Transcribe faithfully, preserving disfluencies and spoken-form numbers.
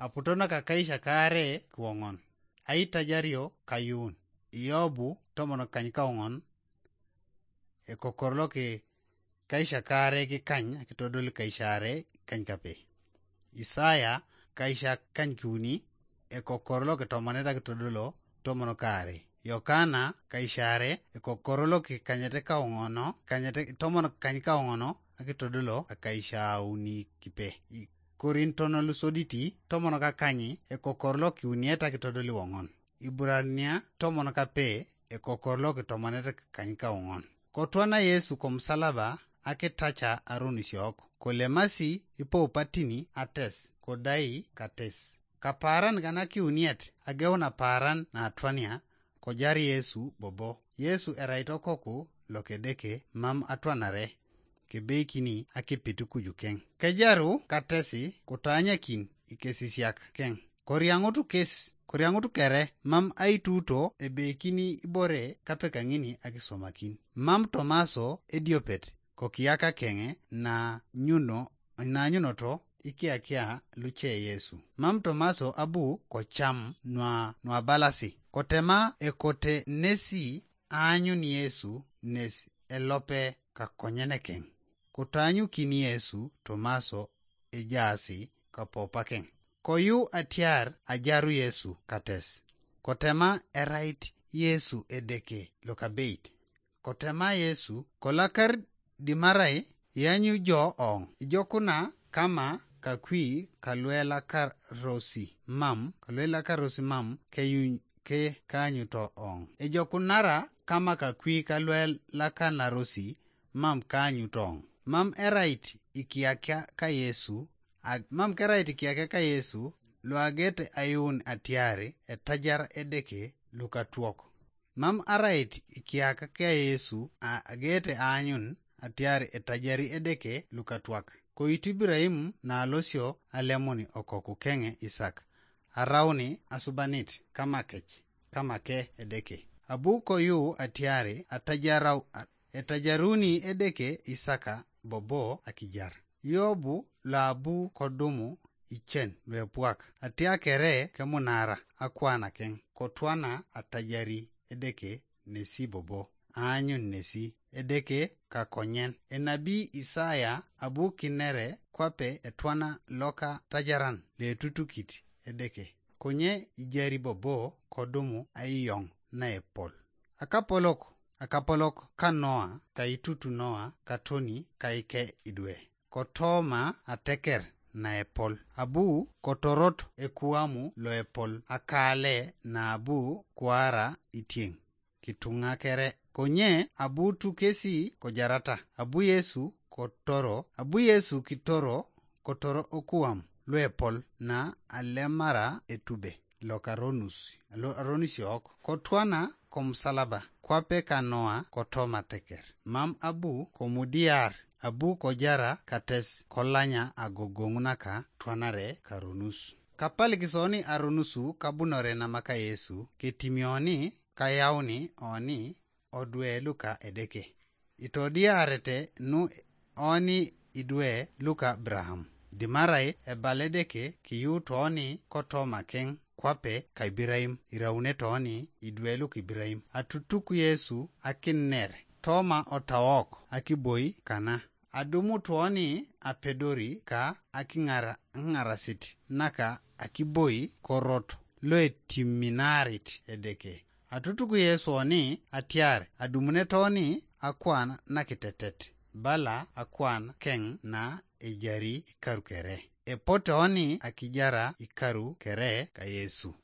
Aputono ka kaisha kaare kiwoŋon. Aitajario kayuun. Iyobu tomon kany kawoŋon. Ekokor loki kaisha kaare kikany akitodol kaisha are kany kape. Isaya kaisha kany kiuni. Ekokor loki tomonet akitodolo tomon kaare. Yokana kaisha are ekokor loki kanyete kawoŋono kanyete tomon kany kawoŋono akitodolo akaisha auni kipe. Korinton lusoditi tomon kakanyi ekokor lokiuniet akitodoli woŋon. Iburania tomon kape ekokor lokitomonet kany kawoŋon. Kotwana Yesu komusalaba akitaca aronisiok, kolemasi ipoupatini ates kodai kates. Kapaaran kanakiuniet ageun apaaran naatwania, kojar Yesu bobo. Yesu erait okoku lokedeke mam atwanare, kebeikini akipit kujukeŋ. Kejaru katesi kutaanyakin ikesisiak keŋ. Koriaŋutu kes koriaŋutu kere mam aituuto ebeikini ibore kapekaŋini akisomakin. Mam Tomaso ediopet kokiaka keŋe na nyuno nanyunoto ikiakia luce Yesu. Mam Tomaso abu kocam nua nuabalasi kotema ekote nesi aanyun Yesu nes elope kakonyenekeŋ. Kutaanyukin Yesu Tomaso ejaasi kapopakeŋ. Koyu atiar ajaru Yesu kates. Kotema erait Yesu Edeke lokabeit. Kotema Yesu kolakar dimarai ianyu jo oŋ ijokuna kama kakwi kaluelakarosi mam kaluelakarosi mam keyuny ke kaanyuto oŋ. Ejokunara kama kakwi kaluelakanarosi mam kaanyuto oŋ. Mam erait ikiakia ka Yesu ag mam kerait ikiakia ka Yesu luagete ayuun atiari etajar Edeke lukatuok. Mam arait ikiaka ka Yesu a- agete aanyun atiar etajari Edeke lukatwak. Koitu Iburahim nalosio alemuni okoku keŋe Isak, arauni asubanit kamakec kamake Edeke. Abu koyu atiari atajarau a- etajaruni Edeke Isaka bobo akijar. Yobu loabu kodumu icen luepwak atiakere kemunara akwana keŋ kotwana atajari Edeke nesi bobo aanyun nesi Edeke kakonyen. Enabi Isaya abu kinere kwape etwana loka tajaran letutukit Edeke. Konye ijari bobo kodumu aiyoŋ naepol. Akapolok akapolok ka Noa kaitutu Noa katoni kaike idwe. Kotoma ateker naepol abu kotorot ekuamu loepol akale naabu kuara itieŋ kituŋa kere. Konye abu tu kesi kojarata abu Yesu kotoro abu Yesu kitoro kotoro okuam luepol na alemara etube lokaronus lo- aronisiok kotwana komusalaba kwape kanoa kotoma teker. Mam abu komudiar abu kojara kates kolanya agogoŋ naka twanare karonus. Kapalik soni aronusu kabunore namaka Yesu ketimioni kayauni oni odwe luka Edeke. Itodiarete nu oni idwe luka Abraham. Dimarai ebal Edeke kiyuut oni kotoma keŋ kwape ka Iburahim iraune toni idwe luka Iburahim. Atutuk Yesu akiner toma otawok akiboi kana. Adumu toni apedori ka akiŋarasit naka akiboi korot loetiminarit Edeke. Atutuk Yesu oni atiar adumunet oni akwan nakitetet bala akwan keŋ na ejari ikaru kere. Epote oni akijara ikaru kere ka Yesu.